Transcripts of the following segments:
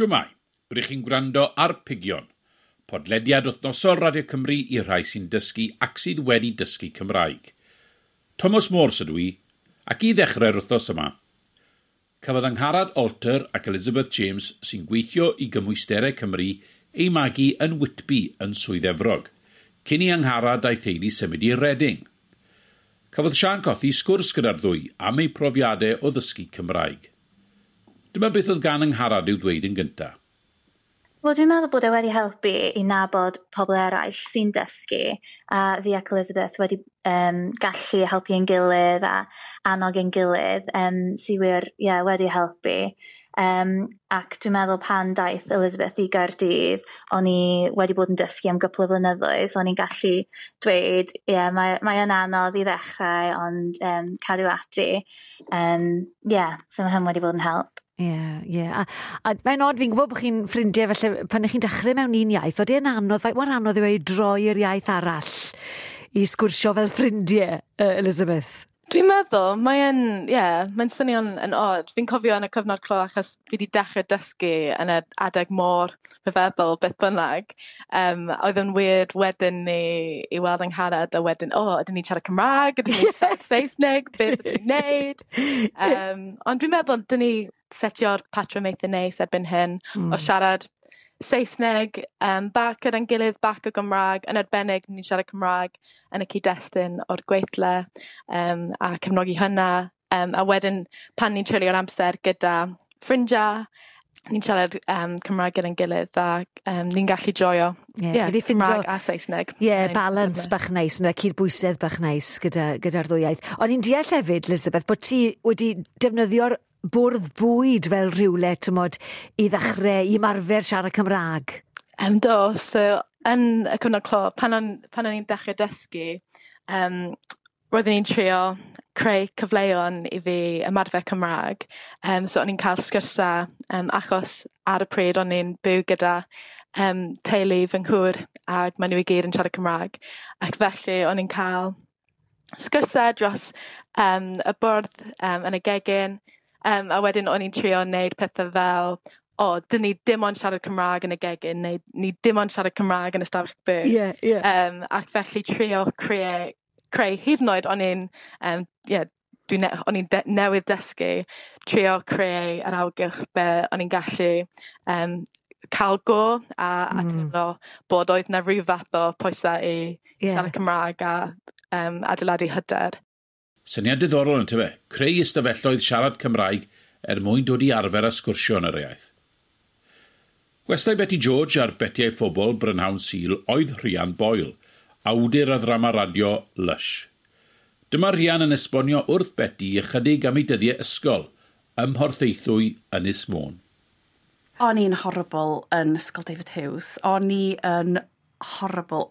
Shwmae, rydych chi'n gwrando ar Pigion, podlediad wythnosol Radio Cymru i'r rhai sy'n dysgu ac sydd wedi dysgu Cymraeg. Thomas Morse ydw i, ac i ddechrau'r wythnos yma, cafodd Angharad Alter ac Elizabeth James sy'n gweithio i Gymwysterau Cymru ei magu yn Whitby yn Swydd Efrog, cyn i Angharad a'i theulu symud i Reading. Cafodd Sian Cothi sgwrs gyda'r ddwy am eu profiadau o ddysgu Cymraeg. Dyma beth oedd gan Angharad i'w dweud yn gyntaf. Wel, dwi'n meddwl bod e wedi helpu i nabod pobl eraill sy'n dysgu, a fi ac Elizabeth wedi gallu helpu ein gilydd a annog ein gilydd, sy wir, ie, wedi helpu. Ac dwi'n meddwl pan daeth Elizabeth i Gaerdydd, o'n i wedi bod yn dysgu am gwpl o flynyddoedd, so o'n i'n gallu dweud, ie, mae yn anodd i ddechrau, ond cadw ati. Ie, so mae hyn wedi bod yn help. Ie. A mae'n od, fi'n gwybod bod chi'n ffrindiau, felly pan ych chi'n dechrau mewn un iaith, oeddi yn anodd, faint mor anodd yw e i droi i'r iaith arall i sgwrsio fel ffrindiau, Elizabeth? Dwi'n meddwl, mae'n, ie, yeah, mae'n swnio'n yn od. Fi'n cofio yn y cyfnod clo achos fi wedi dechrau dysgu yn y adeg mor rhyfeddol beth bynnag. Oedd yn weird wedyn ni i weld Angharad a wedyn, o, ydyn ni'n siarad Cymraeg, ydyn ni'n siarad Saesneg, beth ydyn ni'n neud? Ond dwi'n meddwl, dyn ni setio'r patrwm eitha neis erbyn hyn o siarad Saesneg bach gyda'n gilydd, bach o Gymraeg, yn arbennig ni'n siarad Cymraeg yn y cyd-destun o'r gweithle a cefnogi hynna. A wedyn pan ni'n treulio'r amser gyda ffrindiau, ni'n siarad Cymraeg gyda'n gilydd a ni'n gallu joio Cymraeg a Saesneg. Ie, balance bach neis, yna cydbwysedd bach neis gyda'r ddwy iaith. O'n i'n deall hefyd, Elizabeth, bod ti wedi defnyddio'r bwrdd bwyd fel rhywle, tymod, i ddechrau, i ymarfer siarad Cymraeg. Do, so yn y cyfnod clo, pan o'n i'n dechrau dysgu, roeddwn i'n trio creu cyfleon i fi ymarfer Cymraeg. So o'n i'n cael sgyrsiau, achos ar y pryd o'n i'n byw gyda teulu fy nghŵr ac maen nhw i gyd yn siarad Cymraeg. Ac felly o'n i'n cael sgyrsiau dros y bwrdd yn y gegin. A wedyn o'n i'n trio wneud pethau fel, o, dyn ni dim ond siarad Cymraeg yn y gegin, neu ni dim ond siarad Cymraeg yn y stafell byw. Yeah, yeah. Ac felly trio creu hyd yn oed o'n i'n, o'n i'n newydd dysgu, trio creu yr awgylch be o'n i'n gallu cael go a teimlo bod oedd na rhyw fath o pwysau i siarad Cymraeg a adeiladu hyder. Syniad diddorol yn tyfe, creu ystafelloedd siarad Cymraeg er mwyn dod i arfer a sgwrsio yn yr iaith. Gwestai Beti George ar Beti a'i Phobl Brynhawn Sul oedd Rhian Boyle, awdur a ddrama radio Lush. Dyma Rhian yn esbonio wrth Beti ychydig am ei dyddiau ysgol ym Mhorthaethwy Ynys Môn. O'n i'n horrible yn Ysgol David Hughes. O'n i yn horrible.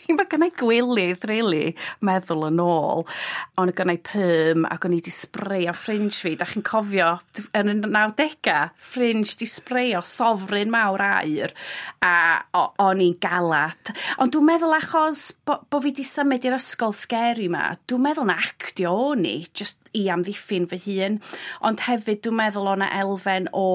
Mae gennai gwilydd, really, meddwl yn ôl. Ond gennai perm ac o'n i di sbreio fringe fi. Da chi'n cofio, yn y 90au, fringe di sbreio sofrin mawr aur. A o'n i'n galad. Ond dwi'n meddwl achos bo fi di symud i'r ysgol scary ma, dwi'n meddwl na actio o'n i, just i amddiffyn fy hun. Ond hefyd dwi'n meddwl o'na elfen o...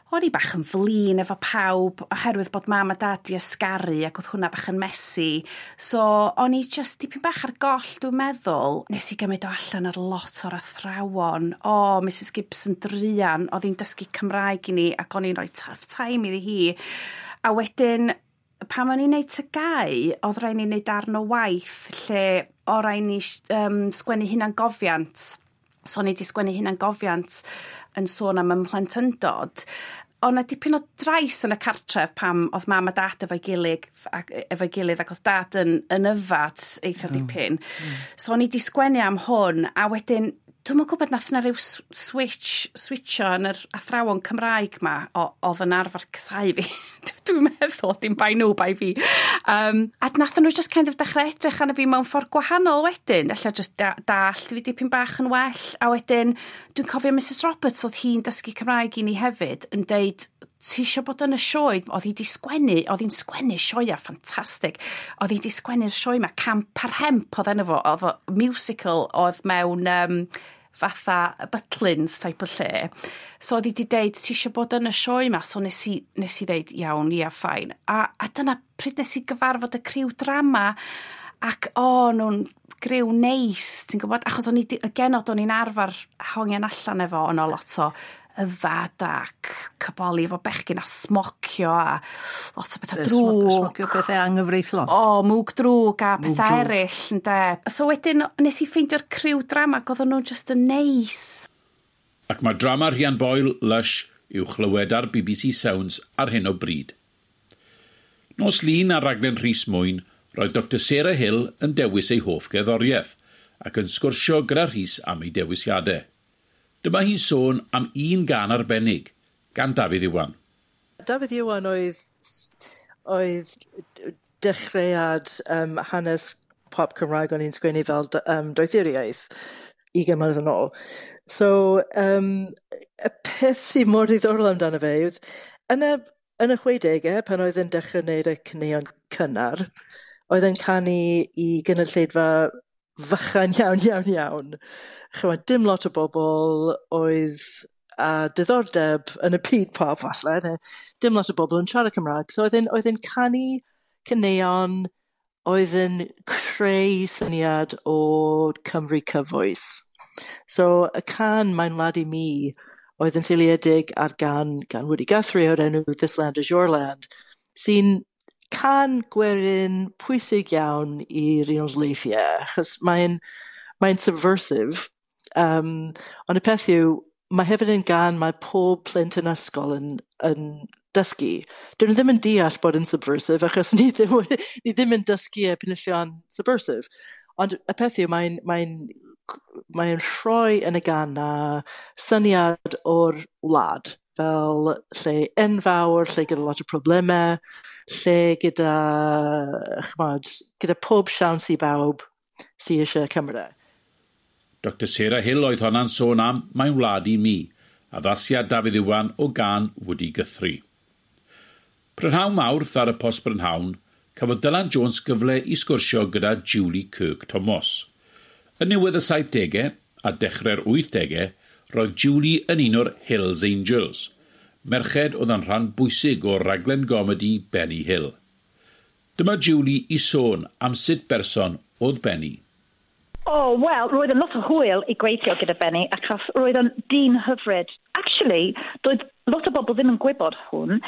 O'n i bach yn flin efo pawb oherwydd bod mam a dad di ysgaru ac oedd hwnna bach yn messy. So o'n i just dipyn bach ar goll, dwi'n meddwl. Nes i gymryd o allan ar lot o'r athrawon. O, Mrs Gibson druan, oedd hi'n dysgu Cymraeg i ni ac o'n i'n rhoi tough time iddi hi. A wedyn, pan o'n i'n neud TGAU, oedd rhaid ni wneud darn o waith lle o rhaid ni sgwennu hunangofiant. So o'n i wedi sgwennu hunangofiant yn sôn am ymhlentyndod. O'n 'na dipyn o drais yn y cartref pam oedd mam a dad efo'i gilydd ac oedd dad yn yfad eitha dipyn. So o'n i wedi sgwennu am hwn, a wedyn dwi'm yn gwybod nath na ryw switcho yn yr athrawon Cymraeg ma oedd yn arfer casáu fi. Dwi'n meddwl, dim bai nhw, bai fi. A nath nhw just kind of dechrau edrych arno fi mewn ffordd gwahanol wedyn. Ella just dallt fi dipyn bach yn well. A wedyn, dwi'n cofio Mrs Roberts, oedd hi'n dysgu Cymraeg i ni hefyd, yn deud, ti isio bod yn y sioe? Oedd hi di sgwennu, oedd hi'n sgwennu sioea ffantastig. Oedd hi di sgwennu'r sioe ma, Camp ar Hemp oedd enw fo, oedd musical oedd mewn fatha Butlins type o lle. So oedd hi 'di deud, "Ti eisiau bod yn y sioe 'ma?" So nes i ddeud, "Iawn, ia, fine." A dyna pryd nes i gyfarfod y criw drama ac o, nhw'n griw neis, ti'n gwybod? Achos o'n i, y genod o'n i'n arfer hongian allan efo, o'n o lot o yfad ac caboli efo bechgyn a smocio a lot o bethau drwg. Smocio pethau anghyfreithlon. O, mwg drwg a pethau eraill, ynde. So wedyn nes i ffeindio'r criw drama ac oedden nhw'n just yn neis. Ac mae drama Rhian Boyle, Lush, i'w chlywed ar BBC Sounds ar hyn o bryd. Nos Lun ar raglen Rhys Mwyn, roedd Dr Sarah Hill yn dewis ei hoff gerddoriaeth ac yn sgwrsio gyda Rhys am ei dewisiadau. Dyma hi'n sôn am un gân arbennig gan Dafydd Iwan. Dafydd Iwan oedd dechreuad hanes pop Cymraeg o'n i'n sgwennu fel doethuriaeth 20 mlynedd yn ôl. So, y peth sy'n mor ddiddorol amdano fe yw, yn y 60au, pan oedd yn dechrau wneud y caneuon cynnar, oedd yn canu i gynulleidfa fychan iawn, iawn, iawn. Chymod, dim lot o bobl oedd a diddordeb yn y byd pop falle, neu dim lot o bobl yn siarad Cymraeg. So oedd e'n canu caneuon oedd yn creu syniad o Cymru cyfoes. So y cân "Mae'n Wlad i Mi" oedd yn seiliedig ar gân gan Woody Guthrie o'r enw "This Land Is Your Land", sy'n cân gwerin pwysig iawn i'r Unol Daleithiau, achos mae'n subversive. Ond y peth yw, mae hefyd yn gân mae pob plentyn ysgol yn dysgu. Dyn nhw ddim yn deall bod yn subversive, achos ni ddim yn dysgu y penillion subversive. Ond y peth yw, mae'n rhoi yn y gân na syniad o'r wlad fel lle enfawr, lle gyda lot o problemau, lle gyda, chymod, gyda pob siawns i bawb sydd eisiau Cymru. Dr Sarah Hill oedd honna'n sôn am "Mae'n Wlad i Mi", addasiad Dafydd Iwan o gân Woody Guthrie. Prynhawn Mawrth ar y Post Brynhawn, cafodd Dylan Jones gyfle i sgwrsio gyda Julie Kirk Thomas. Yn niwedd y 70au a dechrau'r 80au, roedd Julie yn un o'r Hills Angels, merched oedd yn rhan bwysig o'r raglen gomedi Benny Hill. Dyma Julie i sôn am sut berson oedd Benny. Oh, wel, roedd yn lot o hwyl i gweithio gyda Benny, achos roedd yn dyn hyfryd. Actually, doedd lot o bobl ddim yn gwybod hwn,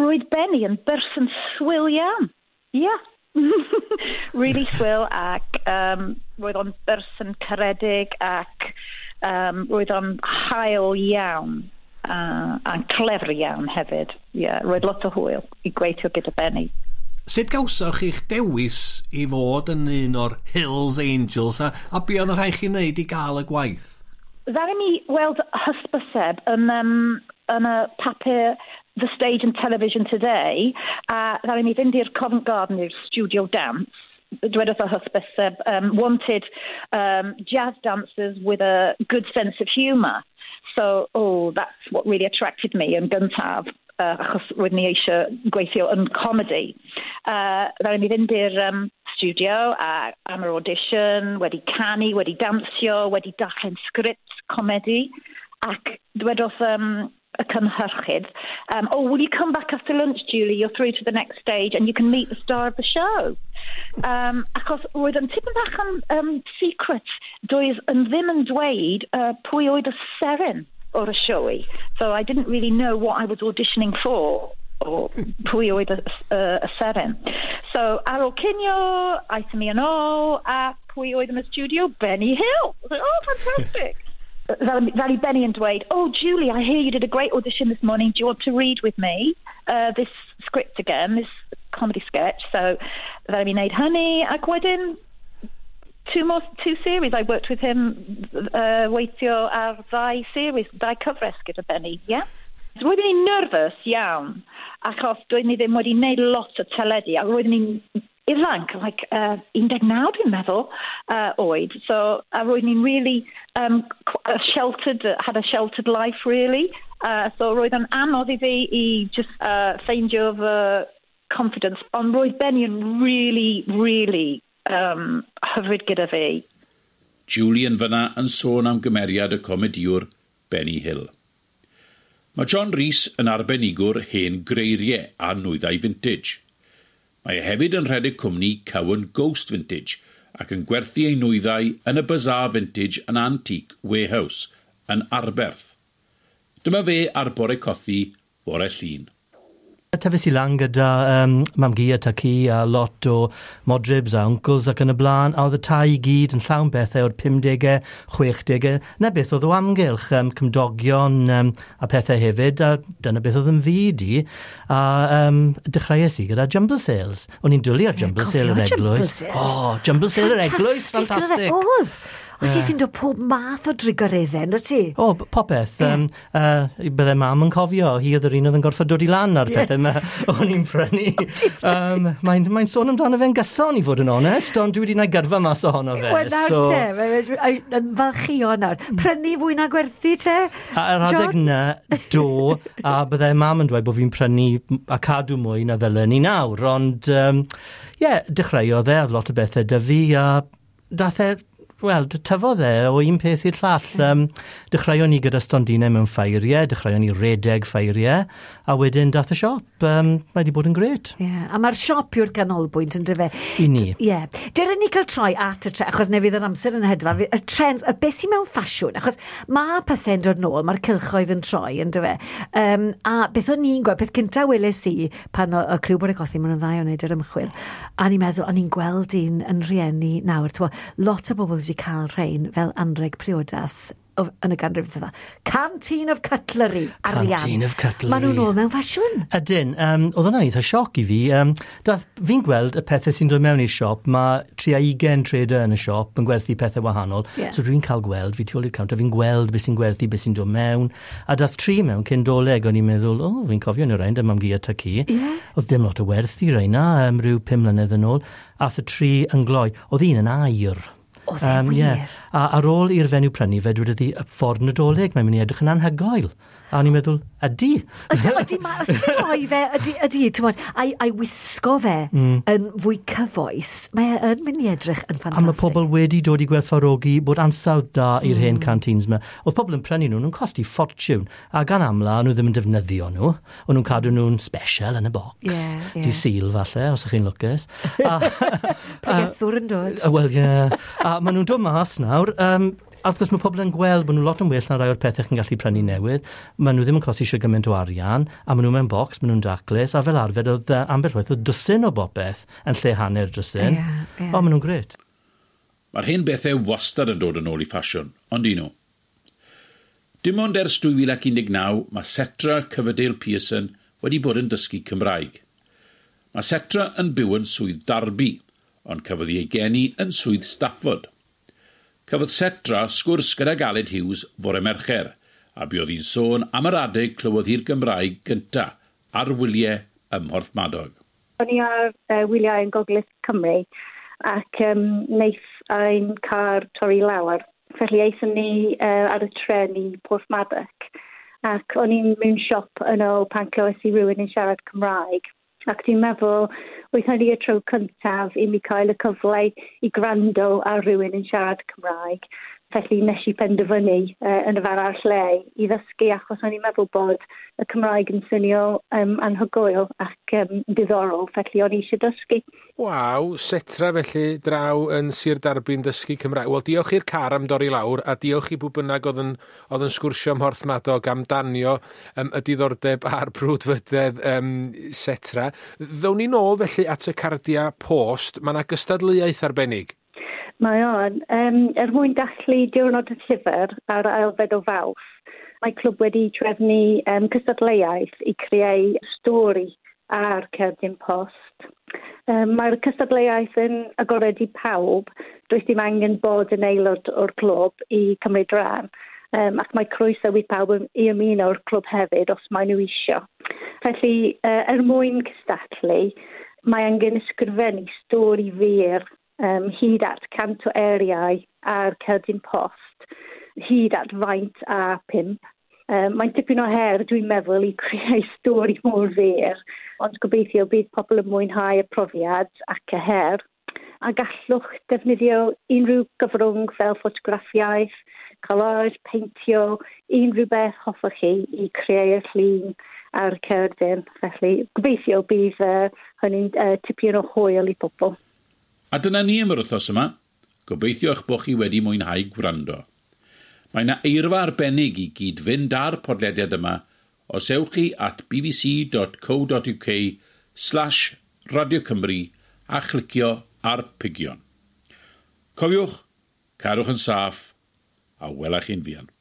roedd Benny yn berson swil iawn. Yeah. Really swil ac roedd o'n berson caredig ac roedd o'n hael iawn a clever iawn hefyd. Yeah, roedd lot o hwyl i gweithio gyda Benny. Sut gawsoch chi'ch dewis i fod yn un o'r Hills Angels a be oedd y rhaid chi wneud i gael y gwaith? Ddaru mi weld hysbyseb yn y papur The Stage and Television Today, a ddaru mi fynd i'r Covent Garden i'r Studio Dance. Dwedodd y hysbyseb, "Wanted jazz dancers with a good sense of humour." So, oh, that's what really attracted me yn gyntaf, achos roeddwn ni eisiau gweithio yn comedy. Ddaru mi fynd i'r studio a am yr audition, wedi canu, wedi dansio, wedi darllen sgript comedy, ac dwedodd y cynhyrchydd, "Oh, will you come back after lunch, Julie? You're through to the next stage and you can meet the star of the show." Achos roedd yn tipyn bach yn secret. Doedd yn ddim yn dweud pwy oedd y seren o'r y sioe. So I didn't really know what I was auditioning for or pwy oedd y seren. So ar ôl cinio, aethon ni yn ôl, a pwy oedd yn y studio? Benny Hill. I was like, "Oh, fantastic." Ddaru Benny yn dweud, "Oh, Julie, I hear you did a great audition this morning. Do you want to read with me this script again, this comedy sketch?" So ddaru mi wneud hynny, ac wedyn two series. I worked with him, weithio ar ddau series, ddau cyfres gyda Benny, yeah? So roeddwn i'n nervous iawn, achos doeddwn i ddim wedi wneud lot o teledu, a roeddwn i'n ifanc, like 19 dwi'n meddwl, oed. So, a roeddwn i'n really sheltered, had a sheltered life, really. So roedd yn anodd i fi i just ffeindio fy confidence. Ond roedd Benny yn really, really hyfryd gyda fi. Julian fyna yn sôn am gymeriad y comediwr Benny Hill. Mae John Rhys yn arbenigwr hen greiriau a nwyddau vintage. Mae e hefyd yn rhedeg cwmni Cowan Ghost Vintage ac yn gwerthu ei nwyddau yn y Bazaar Vintage and Antique Warehouse yn Arberth. Dyma fe ar Bore Cothi bore Llun. Tyfes i lan gyda mam-gu a tad-cu a lot o modrybs a uncles ac yn y blaen, a oedd y tai i gyd yn llawn bethau o'r 50au, 60au, na beth oedd o amgylch, cymdogion a pethau hefyd, a dyna beth oedd yn fyd i, a dechreuais i gyda jumble sales. O'n i'n dwlu ar jumble sale yr eglwys. O, oh, jumble sale yr eglwys, ffantastig. Oedd. O, ti'n ffindo pob math o drugareddau, ynddo ti? O, popeth. Yeah. Bydde mam yn cofio, hi oedd yr un oedd yn gorfod dod i lan ar pethau yma o'n i'n prynu. Mae'n sôn amdano fe'n gyson, i fod yn onest, ond dwi wedi gwneud gyrfa mas ohono fe. Wel, nawr so te, yn falchio nawr. Prynu fwy na gwerthu te, A yr adeg na, do, a bydde mam yn dweud bod fi'n prynu a cadw mwy na ddylen ni nawr, ond ie, yeah, dechreuodd e, oedd lot o bethau 'da fi, a dath e, wel, tyfodd e o un peth i'r llall. Dechreuon ni gyda stondinau mewn ffairiau, dechreuon ni redeg ffairiau, a wedyn dath y siop. Mae wedi bod yn gret. Yeah, a mae'r siop yw'r ganolbwynt yn dyfe? I ni. Ie. Yeah. Dyren ni cael troi at y tre, achos neu fydd yr amser yn hedfan, y trends, y beth sy'n mewn ffasiwn, achos mae pethau'n dod nôl, mae'r cylchoedd yn troi, yn dyfe. A beth o'n i'n gweld, peth cyntaf weles i pan o criw Bore Cothi, maen nhw'n dda o wneud yr ymchwil, a ni'n meddwl, o'n i'n gweld un yn rhieni nawr, t'wo, lot o bobl wedi cael rhain fel anreg priodas yn y ganrif ddiwetha. Canteen of cutlery, arian. Canteen of cutlery. Maen nhw'n ôl mewn ffasiwn. Ydyn, oedd hwnna'n eitha sioc i fi. Fi'n gweld y pethau sy'n dod mewn i'r siop, mae 30 trader yn y siop yn gwerthu pethau wahanol. So dwi'n cael gweld, fi tu ôl i'r counter, fi'n gweld beth sy'n gwerthu, beth sy'n dod mewn. A dath tri mewn cyn Dolig, o'n i'n meddwl, o, oh, fi'n cofio nhw rhain, dyma mam-gu a tad-cu. Oedd dim lot o werth i rhain rhyw 5 mlynedd yn ôl. Ath y tri yn gloi. Oedd un yn aur. Oedd e wir? Yeah. A ar ôl i'r fenyw prynu fe, dwedodd hi, y ffordd Nadolig, mae'n mynd i edrych yn anhygoel. A o'n i'n meddwl, ydy. Ydy, ydy, os ti'n rhoi fe, ydy, ydy, ti'n gwbod, a'i wisgo fe yn fwy cyfoes, mae e yn mynd i edrych yn A mae ffantastig. pobl wedi dod i gwerthfawrogi bod ansawdd da i'r hen canteens yma. Oedd pobl yn prynu nhw, nhw'n costi ffortiwn. A gan amla, nhw ddim yn defnyddio nhw. O'n nhw'n cadw nhw'n special yn y bocs. Ie, ie. Dydd Sul, falle, os ych chi'n lwcus. Pregethwr yn dod. Wel, ie. A maen nhw'n dod mas nawr. A wrth gwrs mae pobl yn gweld bod nhw lot yn well na rai o'r pethau chi'n gallu prynu newydd. Maen nhw ddim yn costi eisiau gymaint o arian, a maen nhw mewn bocs, maen nhw'n daclus, a fel arfer oedd ambell waith oedd dwsin o bopeth yn lle hanner dwsin. Ie, ie. O, maen nhw'n gret. Mae'r hen bethau wastad yn dod yn ôl i ffasiwn, ond un nhw. Dim ond ers 2019 mae Setra Coverdale Pearson wedi bod yn dysgu Cymraeg. Mae Setra yn byw yn swydd Derby, ond cafodd ei geni yn swydd Stafford. Cafodd Setra sgwrs gyda Aled Hughes fore Mercher, a buodd hi'n sôn am yr adeg clywodd hi'r Gymraeg gynta ar wyliau ym Mhorthmadog. O'n i ar wyliau yn Gogledd Cymru ac wnaeth ein car torri lawr. Felly aethon ni ar y tren i Porthmadog ac o'n i'n mewn siop yno pan clywes i rhywun yn siarad Cymraeg. Ac dwi'n meddwl, oedd hynny y tro cyntaf i mi cael y cyfle i gwrando ar rhywun yn siarad Cymraeg. Felly nes i penderfynu yn y fan a'r lle i ddysgu achos o'n i'n meddwl bod y Cymraeg yn swnio anhygoel ac diddorol, felly o'n i eisiau dysgu. Waw, Setra felly draw yn Sir Derby'n dysgu Cymraeg. Wel, diolch i'r car am dorri lawr a diolch i bwy bynnag oedd yn sgwrsio ym Mhorthmadog am danio y diddordeb a'r brwdfrydedd Setra. Ddown ni nôl felly at y cardia post. Mae yna gystadleuaeth arbennig. Mae o'n. Er mwyn dathlu diwrnod y llyfr ar ailfed o Fawrth, mae clwb wedi trefnu cystadleuaeth i creu stori ar cerdyn post. Mae'r cystadleuaeth yn agored i pawb, does dim angen bod yn aelod o'r clwb i cymryd rhan. Ac mae croeso i pawb i ymuno o'r clwb hefyd os maen nhw isio. Felly, er mwyn cystadlu, mae angen ysgrifennu stori fyr hyd at 100 o eiriau ar cerdyn post, hyd at faint A5. Mae'n tipyn o her, dwi'n meddwl, i creu stori mor fyr, ond gobeithio bydd pobl yn mwynhau y profiad ac y her. A gallwch defnyddio unrhyw gyfrwng fel ffotograffiaeth, collage, peintio, unrhyw beth hoffech chi i creu'r llun ar cerdyn. Felly gobeithio bydd hynny'n tipyn o hwyl i pobl. A dyna ni am yr wythnos yma. Gobeithio eich bod chi wedi mwynhau gwrando. Mae yna eirfa arbennig i gyd-fynd â'r podlediad yma os ewch chi at bbc.co.uk/radiocymru a chlicio ar pigion. Cofiwch, cadwch yn saff a welach chi'n fuan.